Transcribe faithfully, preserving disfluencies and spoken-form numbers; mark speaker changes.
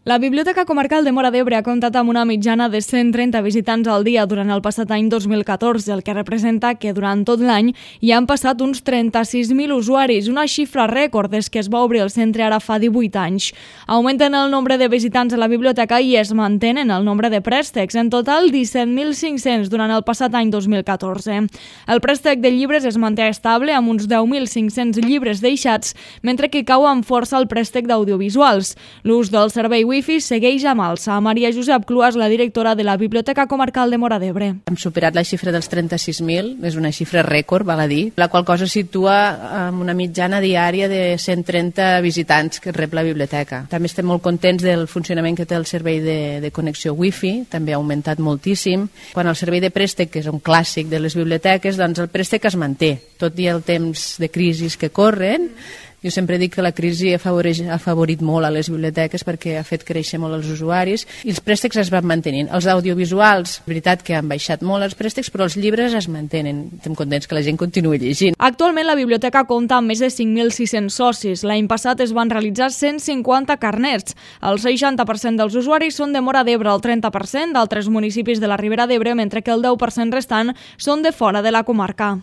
Speaker 1: La Biblioteca Comarcal de Móra d'Ebre ha comptat amb una mitjana de cent trenta visitants al dia durant el passat any dos mil catorze, el que representa que durant tot l'any hi han passat uns trenta-sis mil usuaris, una xifra rècord des que es va obrir el centre ara fa divuit anys. Augmenten el nombre de visitants a la biblioteca i es mantenen el nombre de préstecs, en total disset mil cinc-cents durant el passat any dos mil catorze. El préstec de llibres es manté estable amb uns deu mil cinc-cents llibres deixats, mentre que cau amb força el préstec d'audiovisuals. L'ús del servei Wi-Fi segueix amb alça. Maria Josep Cluas, la directora de la Biblioteca Comarcal de Móra d'Ebre.
Speaker 2: Hem superat la xifra dels trenta-sis mil, és una xifra rècord, val a dir, la qual cosa situa amb una mitjana diària de cent trenta visitants que rep la biblioteca. També estem molt contents del funcionament que té el servei de, de connexió Wi-Fi, també ha augmentat moltíssim. Quan el servei de préstec, que és un clàssic de les biblioteques, doncs el préstec es manté, tot i el temps de crisis que corren. Jo sempre dic que la crisi afavoreix, ha afavorit molt a les biblioteques perquè ha fet créixer molt els usuaris i els préstecs es van mantenint. Els audiovisuals, veritat que han baixat molt els préstecs, però els llibres es mantenen. Estem contents que la gent continuï llegint.
Speaker 1: Actualment la biblioteca compta amb més de cinc mil sis-cents socis. L'any passat es van realitzar cent cinquanta carnets. El seixanta per cent dels usuaris són de Móra d'Ebre, el trenta per cent d'altres municipis de la Ribera d'Ebre, mentre que el deu per cent restant són de fora de la comarca.